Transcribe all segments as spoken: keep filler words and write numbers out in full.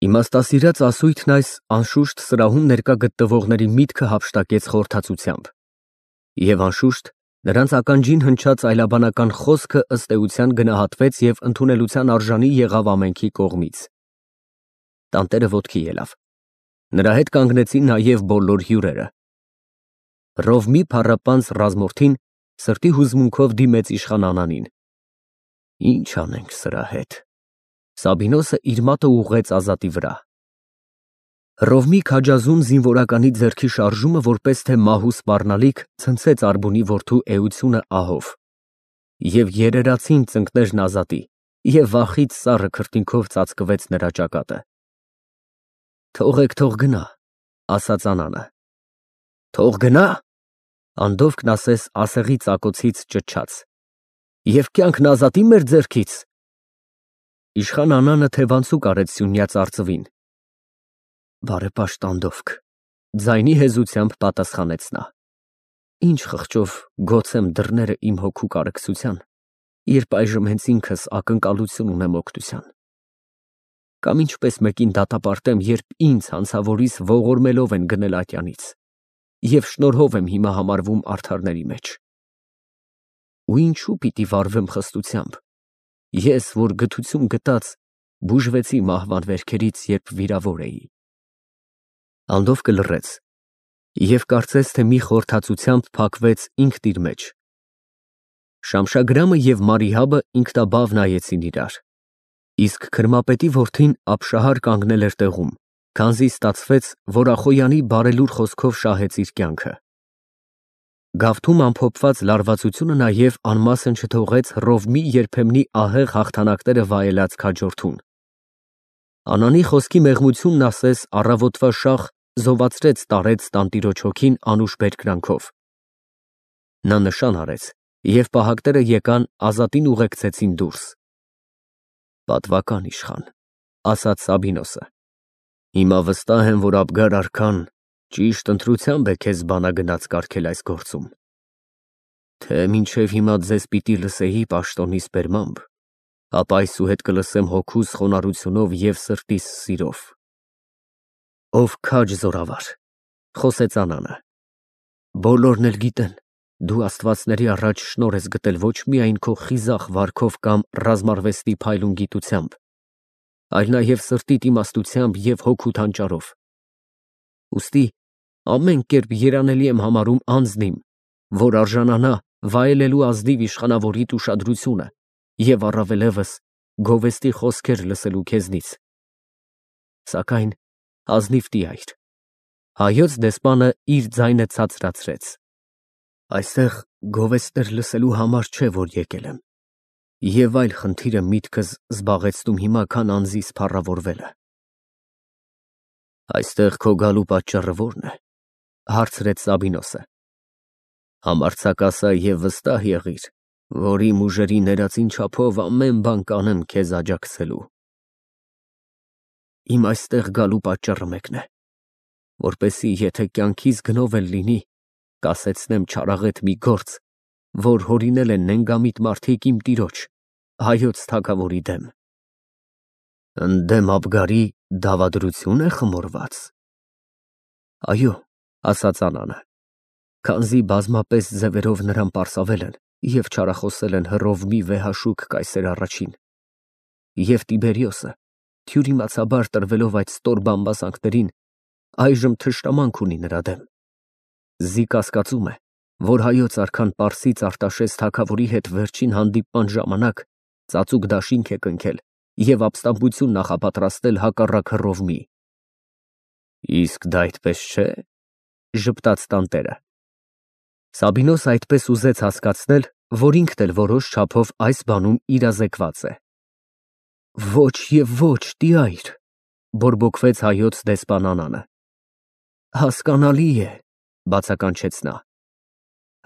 Իմաստասիրած ասույթն այս անշուշտ սրահում ներկա գտնվողների միտքը հափշտակեց խորհրդածությամբ, և անշուշտ նրանց ականջին հնչած այլաբանական խոսքը ըստ էության գնահատվեց և ընդունելության արժանի եղավ ամենքի կողմից։ Տանտերը ոտքի ելավ, նրա հետ կանգնեցին նաև բոլոր հյուրերը։ Ռովմի փառապանծ ռազմորդին սրտի հուզմունքով դիմեց իշխան Անանին։ Ինչ անենք սրա հետ։ Սաբինոսը իր մատը ուղղեց Ազատի վրա։ Ռովմի քաջազուն զինվորականի ձեռքի շարժումը որպես թե մահու սպառնալիք ցնցեց Արբունի որդու էությունը ահով, և երերացին ծնկներն Ազատի, և վախից սառը քրտինքով ծածկվեց նրա ճակատը։ Թողեք, թող գնա, ասաց Անանը։ Թող գնա, անդովքն ասես ասեղի ծակոցից ճչաց, և կյանքն Ազատի մեր ձեռքից։ Իշխան Անանը թևանցուկ արեց սյունյաց արծվին։ Բարեպաշտ անդովք, ձայնի հեզությամբ պատասխանեց նա։ Ինչ խղճով գոցեմ դռները իմ հոգու կարեկցության, երբ այժմ հենց ինքս ակնկալություն ունեմ օգնության։ Կամ ինչպես մեկին դատապարտեմ, երբ ինձ հանցավորիս ողորմելով են գնել ատյանից, և շնորհով եմ հիմա համարվում արդարների մեջ։ Ու ինչու պիտի վարվեմ խստությամբ, ես, որ գթություն գտած, բուժվեցի մահվան վերքերից, երբ վիրավոր էի։ Անդովկը լռեց, և կարծես թե մի խորհրդածությամբ փակվեց ինքն իր մեջ։ Շամշագրամը և Մարիհաբը ինքնաբավ նայեցին իրար, իսկ քրմապետի որդին ապշահար կանգնել էր տեղում, քանզի ստացվեց, որ Ախոյանի բարելուր խոսքով շահեց իր կյանքը։ Գավթում ամփոփված լարվածությունը նաև անմասն չթողեց Ռովմի երբեմնի ահեղ հաղթանակները վայելած քաջորդուն։ Անանի խոսքի մեղմությունն ասես առավոտվա շաղ զովացրեց տարեց տանտիրոջ հոգին անուշ բերկրանքով։ Նա նշան արեց, և պահակները եկան Ազատին ուղեկցեցին դուրս։ Պատվական իշխան, ասաց Սաբինոսը, հիմա վստահ եմ, որ Աբգար արքան ճիշտ ընտրությամբ է քեզ բանագնաց կարգել այս գործում, թե մինչև հիմա ձեզ պիտի լսեի պաշտոնիս բերմամբ, ապա այսուհետ կլսեմ հոգուս խոնարհությունով և սրտիս սիրով։ Ով քաջ զորավար, խոսեց Անանը, բոլորն էլ գիտեն, դու աստվածների առաջ շնորհ ես գտել ոչ միայն քո խիզախ վարքով կամ ռազմարվեստի փայլուն գիտությամբ, այլ նաև սրտիդ իմաստությամբ և հոգուդ հանճարով։ Ուստի ամեն կերպ երանելի եմ համարում անձն իմ, որ արժանանա վայելելու ազնիվ իշխանավորիդ ուշադրությունը և առավելևս գովեստի խոսքեր լսելու քեզնից։ Սակայն ազնիվ տյայր, հայոց դեսպանը իր ձայնը ցածրացրեց։ Այստեղ գովեստներ լսելու համար չէ, որ եկել եմ, և այլ խնդիր է միտքս զբաղեցնում հիմա, քան անձիս փառավորվելը։ Այստեղ քո գալու պատճառը ո՞րն է, հարցրեց Սաբինոսը։ Համարձակասա և վստահ եղիր, որ իմ ուժերի ներածին չափով ամեն բան կանեմ քեզ աջակցելու։ Իմ այստեղ գալու պատճառը մեկն է, որպեսզի եթե կյանքիս գնով էլ լինի, կասեցնեմ չարաղետ մի գործ, որ հորինել են նենգամիտ մարդիկ իմ տիրոջ, հայոց թագավորի դեմ։ Ընդդեմ Աբգարի դավադրությո՞ւն է խմորված։ Այո, ասաց Անանը, քանզի բազմապես ձևերով նրան պարսավել են և չարախոսել են Հռովմի վեհաշուք կայսեր առաջին, և Տիբերիոսը, թյուրիմացաբար տրվելով այդ ստոր բամբասանքներին, այժմ թշնամանք ունի նրա դեմ։ Զի կասկածում է, որ հայոց արքան Պարսից Արտաշես թագավորի հետ վերջին հանդիպման ժամանակ ծածուկ դաշինք է կնքել և ապստամբություն նախապատրաստել հակառակ Հռովմի։ Իսկ դա այդպես չէ, ժպտաց տանտերը։ Սաբինոսը այդպես ուզեց հասկացնել, որ ինքն էլ որոշ չափով այս բանում իրազեկված է։ Ոչ և ոչ, տյայր, բորբոքվեց հայոց դեսպան Անանը։ Հասկանալի է, բացականչեց նա։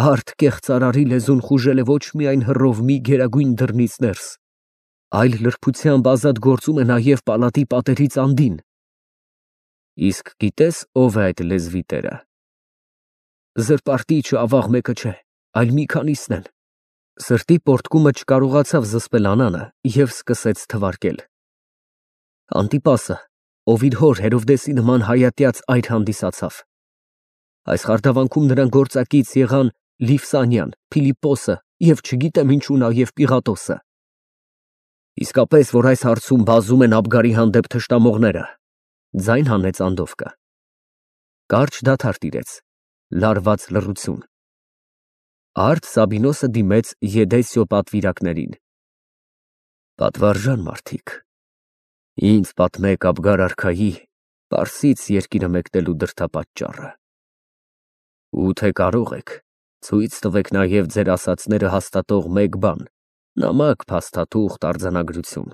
Հարթ կեղծարարի լեզուն խուժել է ոչ միայն Հռովմի գերագույն դռնից ներս, այլ լրբությամբ ազատ գործում է նաև պալատի պատերից անդին։ Իսկ գիտես ով է այդ լեզվի տերը։ Զրպարտիչը ավաղ մեկը չէ, այլ մի քանիսն են։ Սրտի պոռթկումը չկարողացավ զսպել Անանը և սկսեց թվարկել. Անտիպասը, ով իր հոր Հերովդեսի նման հայատյաց այր հանդիսացավ։ Այս խարդավանքում նրան գործակից եղան Լիվսանյան, Փիլիպպոսը և չգիտեմ ինչու նաև Պիղատոսը։ Իսկապես, որ այս հարցում բազում են Աբգարի հանդեպ թշնամողները, ձայն հանեց Անդովկը։ Կարճ դադար տիրեց, լարված լռություն։ Արդ Սաբինոսը դիմեց Եդեսիո պատվիրակներին. Պատվարժան մարդիկ, ինձ պատմեք Աբգար արքայի Պարսից երկիրը մեկնելու դրդապատճառը։ Ու թե կարող եք, ցույց տվեք նաև ձեր ասածները հաստատող մեկ բան, նամակ, փաստաթուղթ, արձանագրություն։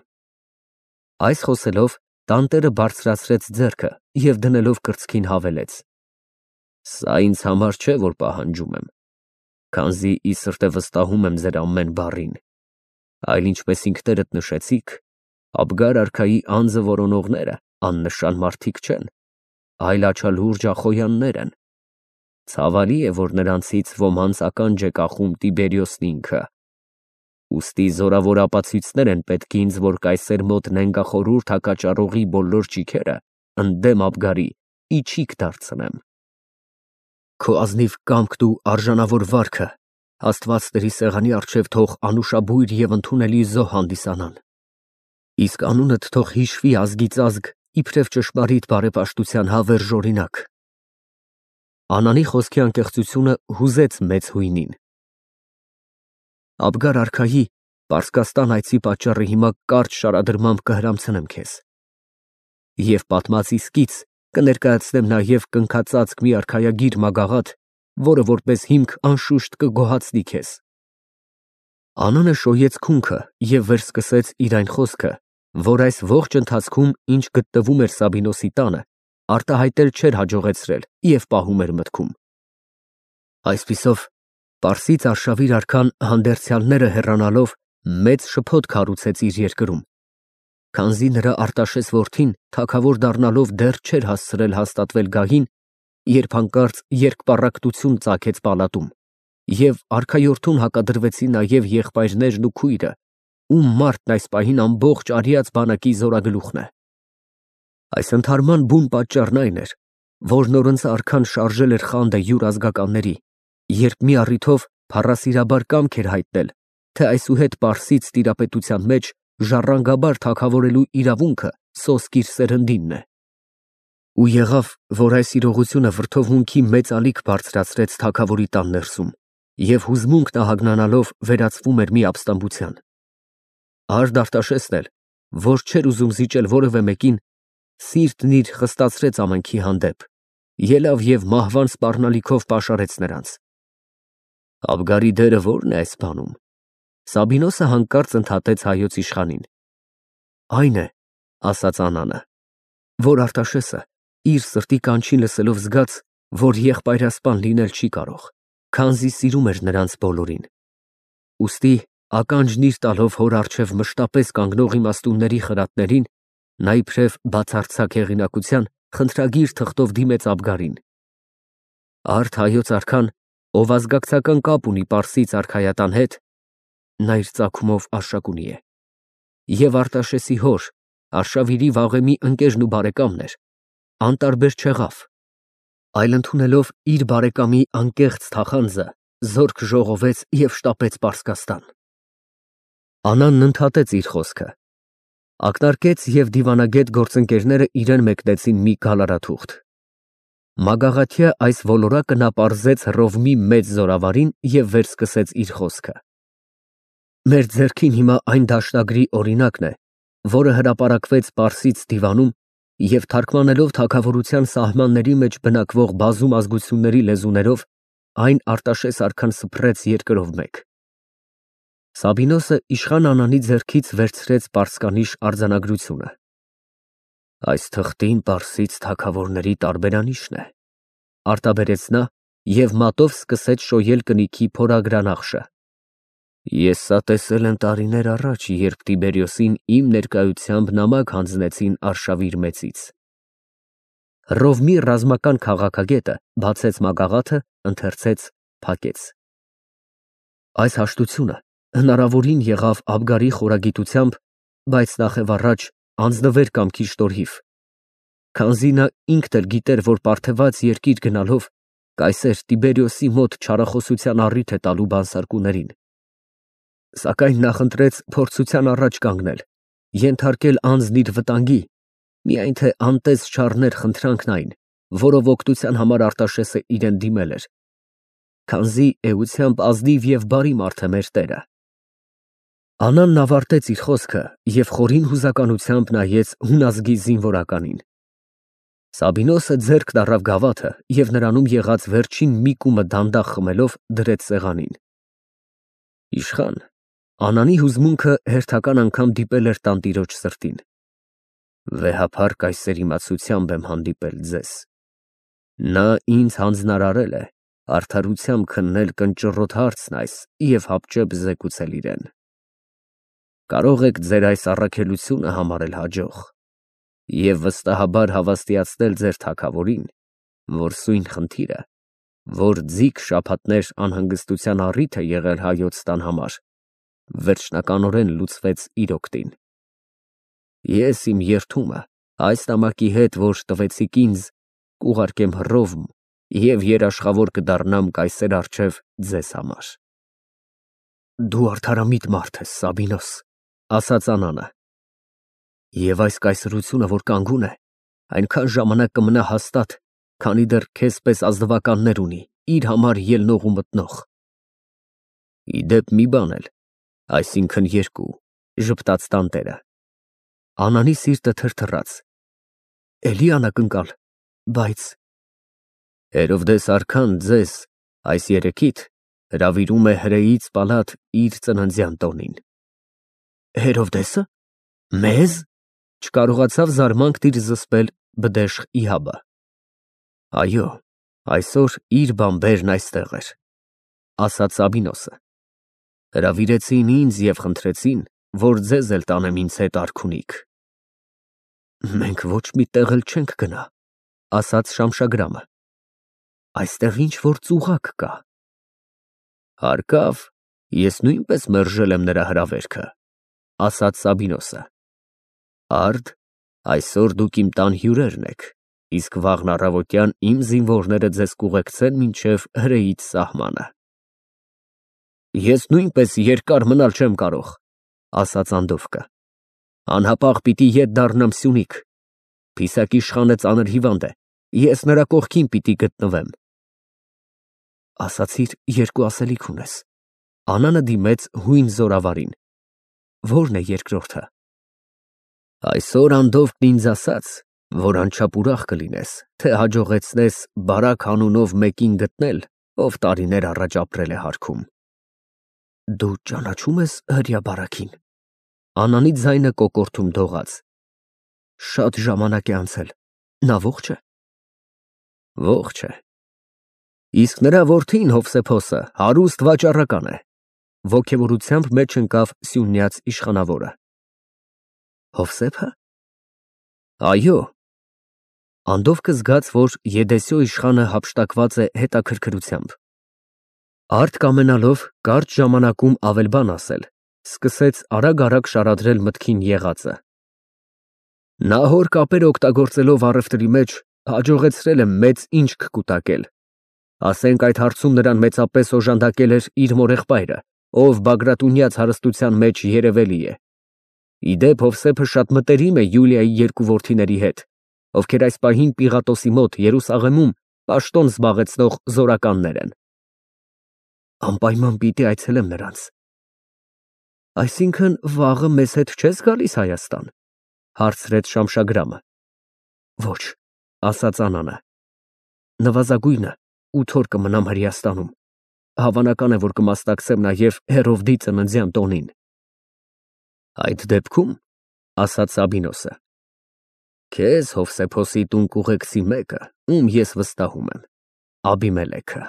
Այս խոսելով տանտերը բարձրացրեց ձեռքը և դնելով կրծքին հավելեց. Սա ինձ համար չէ, որ պահանջում եմ, քանզի ի սրտե վստահում եմ ձեր ամեն բառին, այլ ինչպես ինքներդ նշեցիք, Աբգար արքայի անձը որոնողները աննշան մարդիկ չեն, այլ աչալուրջ ախոյաններ են։ Ցավալի է, որ նրանցից ոմանց ականջ է կախում Տիբերիոսն ինքը։ Ուստի զորավոր ապացույցներ են պետք ինձ, որ կայսեր մոտ նենգախորհուրդ հակաճառողի բոլոր ճիգերը ընդդեմ Աբգարի իչիք դարձնեմ։ Քո ազնիվ կամքն ու արժանավոր վարքը Աստվածների սեղանի առջև թող անուշաբույր և ընդունելի զոհ հանդիսանան։ Իսկ անունդ թող հիշվի ազգից ազգ իբրև ճշմարիտ բարեպաշտության հավերժ օրինակ։ Անանի խոսքի անկեղծությունը հուզեց մեծ հույնին։ Աբգար արքայի Պարսկաստան այցի պատճառը հիմա կարճ շարադրմամբ կհրամցնեմ քեզ։ Եվ պատմած իսկից կներկայացնեմ նաև կնքածածկ մի արքայագիր մագաղաթ, որը որպես հիմք անշուշտ կգոհացնի քեզ։ Անանը շոյեց քունքը և վերսկսեց իր այն խոսքը, որ այս ողջ ընթացքում, ինչ գտնվում էր Սաբինոսի տանը, արտահայտել չէր հաջողեցրել և պահում էր մտքում։ Այսպիսով, Պարսից արշավիր արքան հանդերձյալները հեռանալով մեծ շփոթ քարուցեց իր երկրում, քանզի նրա Արտաշես որդին թագավոր դառնալով դեռ չէր հասցրել հաստատվել գահին, երբ հանկարծ երկպառակտություն ծագեց պալատում, և արքայորդուն հակադրվեցին նաև եղբայրներն ու քույրը, ում մարդն այս պահին ամբողջ արիած բանակի զորագլուխն է։ Այս ընդհարման բուն պատճառն այն էր, որ նորընց արքան շարժել էր խանդը յուր ազգականների, երբ մի առիթով փառասիրաբար կամք էր հայտնել, թե այսուհետ Պարսից տիրապետության մեջ ժառանգաբար թագավորելու իրավունքը սոսկ իր սերնդինն է։ Ու եղավ, որ այս իրողությունը վրդովմունքի մեծ ալիք բարձրացրեց թագավորի տան ներսում, և հուզմունքն ահագնանալով վերածվում էր մի ապստամբության։ Արդ Արտաշեսն էլ, որ չէր ուզում զիջել որևէ մեկին, սիրտն իր խստացրեց ամենքի հանդեպ, ելավ և մահվան սպառնալիքով պաշարեց նրանց։ Աբգարի դերը ո՞րն է այս բանում։ Սաբինոսը հանկարծ ընդհատեց հայոց իշխանին։ Այն է, ասաց Անանը, որ Արտաշեսը իր սրտի կանչին լսելով զգաց, որ եղբայրասպան լինել չի կարող, քանզի սիրում էր նրանց բոլորին։ Ուստի ականջն իր տալով հոր առջև մշտապես կանգնող իմաստունների խրատներին, նա իբրև բացարձակ հեղինակության խնդրագիր թղթով դիմեց Աբգարին։ Արդ հայոց արքան, ով ազգակցական կապ ունի Պարսից արքայատան հետ, նա իր ծագումով Արշակունի է, և Արտաշեսի հոր, Արշավիրի վաղեմի ընկերն ու բարեկամն էր, անտարբեր չեղավ, այլ ընդունելով իր բարեկամի անկեղծ թախանձը, զորք ժողովեց և շտապեց Պարսկաստան։ Անանն ընդհատեց իր խոսքը, ակնարկեց և դիվանագետ գործընկերները իրեն մեկնեցին մի գալարաթուղթ։ Մագաղաթյա այս ոլորակը նա պարզեց Հռովմի մեծ զորավարին և վերսկսեց իր խոսքը։ Մեր ձեռքին հիմա այն դաշնագրի օրինակն է, որը հրապարակվեց Պարսից դիվանում և թարգմանելով թագավորության սահմանների մեջ բնակվող բազում ազգությունների լեզուներով, այն Արտաշես արքան սփռեց երկրով մեկ։ Սաբինոսը իշխան Անանի ձեռքից վերցրեց պարսկանիշ արձանագրությունը։ Այս թղթին Պարսից թագավորների տարբերանիշն է, արտաբերեց նա և մատով սկսեց շոյել կնիքի փորագրանախշը։ Ես սա տեսել եմ տարիներ առաջ, երբ Տիբերիոսին իմ ներկայությամբ նամակ հանձնեցին Արշավիր մեծից։ Հռովմի ռազմական քաղաքագետը բացեց մագաղաթը, ընթերցեց, փակեց։ Այս հաշտությունը հնարավորին եղավ Աբգարի խորագիտությամբ, բայց նախևառաջ անձնվեր կամքի շնորհիվ, Քանզի նա ինքն էլ գիտեր, որ պարթևած երկիր գնալով կայսեր Տիբերիոսի մոտ չարախոսության առիթ է տալու բանսարկուներին։ Սակայն նա խնդրեց փորձության առաջ կանգնել, ենթարկել անձն իր վտանգի, միայն թե անտես չառներ խնդրանքն այն, որով օգնության համար Արտաշեսը իրեն դիմել էր, քանզի էությամբ ազնիվ և բարի մարդ է մեր Տերը։ Անանն ավարտեց իր խոսքը և խորին հուզականությամբ նայեց հուն ազգի զինվորականին։ Սաբինոսը ձեռք դառավ գավաթը և նրանում եղած վերջին մի կումը դանդաղ խմելով դրեց սեղանին։ Իշխան, Անանի հուզմունքը հերթական անգամ դիպել էր տանտիրոջ սրտին։ Վեհափառ կայսեր իմացությամբ եմ հանդիպել ձեզ։ Նա ինձ հանձնարարել է արդարությամբ քննել կնճռոտ հարցն այս և հապճեպ զեկուցել իրեն։ Կարող եք ձեր այս առաքելությունը համարել հաջող և վստահաբար հավաստիացնել ձեր թագավորին, որ սույն խնդիրը, որ ձիգ շաբաթներ անհանգստության առիթ է եղել հայոց տան համար, վերջնականորեն լուծվեց իր օգտին։ Ես իմ երդումը այս նամակի հետ, որ տվեցիք ինձ, կուղարկեմ Հռոմ և երաշխավոր կդառնամ կայսեր առջև ձեզ համար։ Դու արդարամիտ մարդ ես, Սաբինոս, ասաց Անանը, և այս կայսրությունը, որ կանգուն է, այնքան ժամանակ կմնա հաստատ, քանի դեռ քեզ պես ազնվականներ ունի, իր համար ելնող ու մտնող։ Ի դեպ, մի բան էլ, այսինքն երկու, ժպտաց տանտերը։ Անանի սիրտը թրթռաց։ Էլի անակնկալ, բայց… Հերովդես արքան ձեզ այս երեքիդ հրավիրում է հրեից պալատ իր ծննդյան տոնին։ Հերովդեսը… Մեզ… Չկարողացավ զարմանքն իր զսպել բդեշխ Իհաբը։ Այո, այսօր իր բանբերն այստեղ էր, ասաց Սաբինոսը։ Հրավիրեցին ինձ և խնդրեցին, որ ձեզ էլ տանեմ ինձ հետ արքունիք։ Մենք ոչ մի տեղ էլ չենք գնա, ասաց Շամշագրամը։ Այստեղ ինչ֊որ ծուղակ կա։ Հարկավ, ես նույնպես մերժել եմ նրա հրավերքը, ասաց Սաբինոսը։ Արդ, այսօր դուք իմ տան հյուրերն եք, իսկ վաղն առավոտյան իմ զինվորները ձեզ կուղեկցեն մինչև հրեից սահմանը։ Ես նույնպես երկար մնալ չեմ կարող, ասաց Անդովկը։ Անհապաղ պիտի ետ դառնամ Սյունիք։ Փիսակ իշխանը ծանր հիվանդ է, ես նրա կողքին պիտի գտնվեմ։ Ասացիր, երկու ասելիք ունես։ Անանը դիմեց հույն զորավարին։ Ո՞րն է երկրորդը։ Այսօր Անդովկն ինձ ասաց, որ անչափ ուրախ կլինես, թե հաջողեցնես Բարակ անունով մեկին գտնել, ով տարիներ առաջ ապրել է հարքում։ Դու ճանաչո՞ւմ ես հրեա Բարաքին։ Անանի ձայնը կոկորդում դողաց։ Շատ ժամանակ է անցել, նա ո՞ղջ է։ Ողջ է։ Իսկ նրա որդին Հովսեփոսը հարուստ վաճառական է, ոգևորությամբ մեջ ընկավ Սյունյաց իշխանավորը։ Հովսե՞փը։ Այո։ Անդովկը զգաց, որ Եդեսյո իշխանը հափշտակված է հետաքրքրությամբ։ Արդ կամենալով կարճ ժամանակում ավել բան ասել, սկսեց արագ֊արագ շարադրել մտքին եղածը։ Նա հոր կապերը օգտագործելով առևտրի մեջ հաջողեցրել է մեծ ինչք կուտակել։ Ասենք այդ հարցում նրան մեծապես օժանդակել էր իր մորեղբայրը, ով Բագրատունյաց հարստության մեջ երևելի է։ Ի դեպ, Հովսեփը շատ մտերիմ է Յուլիայի երկու որդիների հետ, ովքեր այս պահին Պիղատոսի մոտ Երուսաղեմում պաշտոն զբաղեցնող զորականներ են։ Անպայման պիտի այցելեմ նրանց։ Այսինքն վաղը մեզ հետ չես գալիս Հայաստան, հարցրեց Շամշագրամը։ Ոչ, ասաց Անանը։ Նվազագույնը ութ օր կմնամ Հրեաստանում։ Հավանական է, որ կմասնակցեմ նաև Հերովդի ծննդյան տոնին։ Այդ դեպքում, ասաց Սաբինոսը, քեզ Հովսեփոսի տուն կուղեկցի մեկը, ում ես վստահում եմ, Աբիմելեքը։